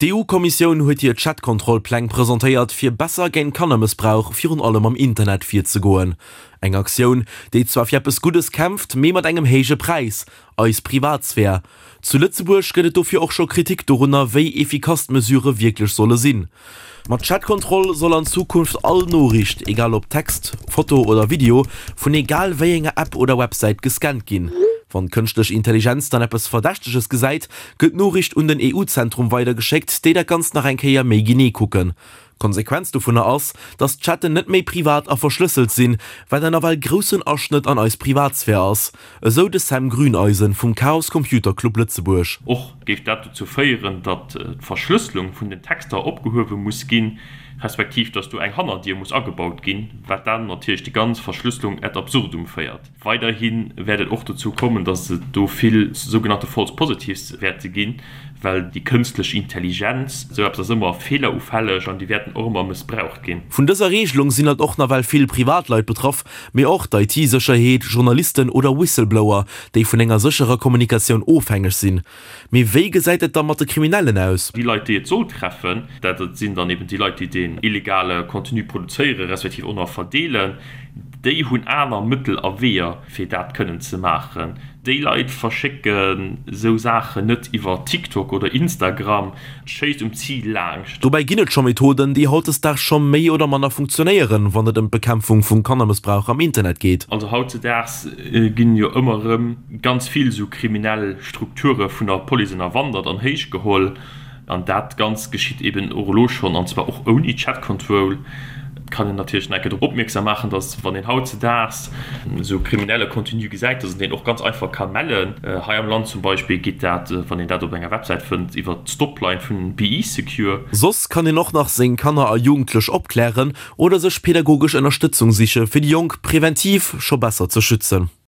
D'EU-Kommissioun huet hir Chat-Kontroll-Pläng presentéiert, fir besser géint Kannermëssbrauch virun allem am Internet virzegoen. Eng Aktioun, déi zwar fir eppes Guddes kämpft, mee mat engem héije Präis, eis Privatsphär. Zu Lëtzebuerg gëtt et dofir och scho Kritik dorunner, wéi efficace d'Mesurë wierklech solle sinn. Mat Chat-Kontroll soll an Zukunft all Noriicht, egal ob Text, Foto oder Video, vun egal wéi enger App oder Websäit gescannt ginn. Wann d'kënschtlech Intelligenz dann eppes Verdächteges gesäit, gëtt d'Noriicht un den EU-Zentrum weidergeschéckt, déi dat Ganzt nach eng Kéier méi genee kucken. D'Konsequenz dovunner ass, datt d'Chatten net méi privat a verschlësselt sinn, wat en nawell groussen Aschnëtt an eis Privatsphär ass, esou de Sam Grüneisen vum Chaos Computer Club Lëtzebuerg. Och géif dat dozou féieren, datt d'Verschlësselung vun den Texter opgehuewe muss ginn, respektiv datt do eng Hannerdier muss agebaut ginn, wat dann natierlech déi ganz Verschlësselung ad absurdum féiert. Weiderhi wäert et och dozou kommen, datt et do vill sougenannte False Positives wäerte ginn, well déi kënstlech Intelligenz, esou eppes ass ëmmer feelerufälleg an déi wäerten och ëmmer mëssbraucht ginn. Vun dëser Regelung sinn alt och nawell vill Privatleit betraff, mee och d'IT-Sécherheet, Journalisten oder Whistleblower, déi vun enger sécherer Kommunikatioun ofhängeg sinn. Mee wéi gesäit et da mat de Kriminellen aus? Déi Leit, déi et soll treffen, dat sinn dann eben déi Leit, déi deen illegale Contenu produzéieren, respektiv och nach verdeelen. Déi hunn aner Mëttel a Weeër, fir dat kënnen ze maachen. Déi Leit verschécken esou Saachen net iwwer TikTok oder Instagram, schéisst um Zil laangscht. Dobäi ginn et scho Methoden, déi hautdesdaags scho méi oder manner funktionéieren, wann et ëm d'Bekämpfung vum Kannermëssbrauch am Internet geet. Also hautzedaags ginn jo ëmmer erëm ganz vill esou kriminell Strukture vun der Police ënnerwandert an héich geholl. An dat Ganzt geschitt eben och elo schonn, an zwar och ouni Chat Control. Et kann een natierlech nach eng Kéier drop opmierksam maachen, dass, wann een hautzedaags esou kriminelle Contenu gesäit, dass een deen och ganz einfach ka mellen. Hei am Land zum Beispill geet dat, wann een dat op enger Websäit fënnt, iwwer d'Stopline vun BE-Secure. Soss kann een och nach seng Kanner a Jugendlech opklären oder sech pädagogesch Ënnerstëtzung siche fir déi Jonk präventiv scho besser ze schützen.